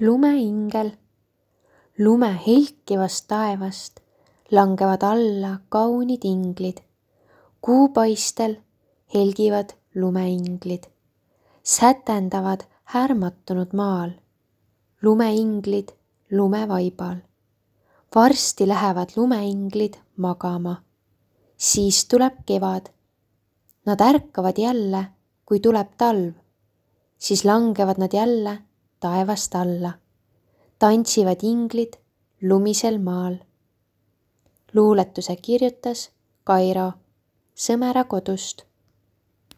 lumeingel. Lume helkivast taevast langevad alla kaunid inglid. Kuupaistel helgivad lumeinglid, sätendavad härmatunud maal. Lumeinglid lumevaibal. Varsti lähevad lumeinglid magama. Siis tuleb kevad. Nad ärkavad jälle, kui tuleb talv. Siis langevad nad jälle taevast alla. Tantsivad inglid lumisel maal. Luuletuse kirjutas Kairo Sõmera kodust.